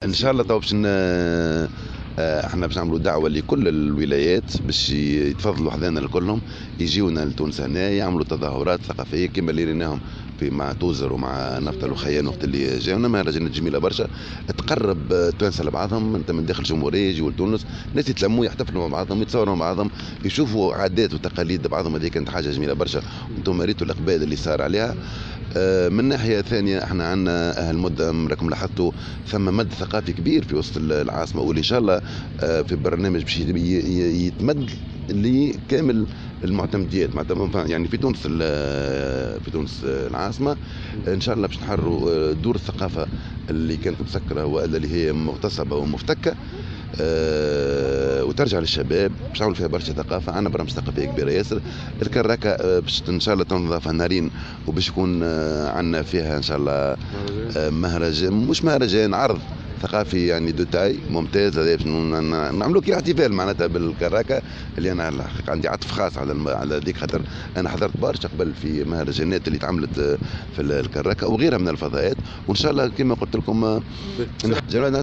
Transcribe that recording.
ان شاء الله تو باش احنا باش نعملوا دعوه لكل الولايات باش يتفضلوا حذانا الكلهم، يجيونا لتونس هنا يعملوا تظاهرات ثقافية كما اللي ريناهم في مع توزر ومع نفطة الوخيان وقت اللي جاونا. مهرجانات جميلة برشا تقرب التوانسة لبعضهم، انت من داخل الجمهورية يجيو لتونس، ناس يتلموا يحتفلوا مع بعضهم، يتصوروا مع بعضهم، يشوفوا عادات وتقاليد بعضهم. هذه كانت حاجة جميلة برشا، وانتم ريتوا الاقبال اللي صار عليها. من ناحية ثانية احنا عندنا المدة راكم لاحظتوا ثم مد ثقافي كبير في وسط العاصمه، واللي ان شاء الله في برنامج باش يتمد لكامل المعتمديات، يعني في تونس العاصمه. ان شاء الله باش نحرروا دور الثقافة اللي كانت مسكره والا اللي هي مغتصبه ومفتكه وترجع للشباب، باش نعملوا فيها برشا ثقافه. عندنا برامج ثقافية كبيرة ياسر. الكراكه باش ان شاء الله تنظف نهارين، وباش يكون عندنا فيها ان شاء الله مهرجان، مش مهرجان، عرض ثقافي يعني de taille ممتاز. هذا باش نعملوا كي احتفال معناتها بالكراكه، اللي انا الحقيقة عندي عطف خاص على ذيك، خاطر انا حضرت برشا قبل في مهرجانات اللي تعملت في الكراكه وغيرها من الفضاءات. وان شاء الله كما قلت لكم.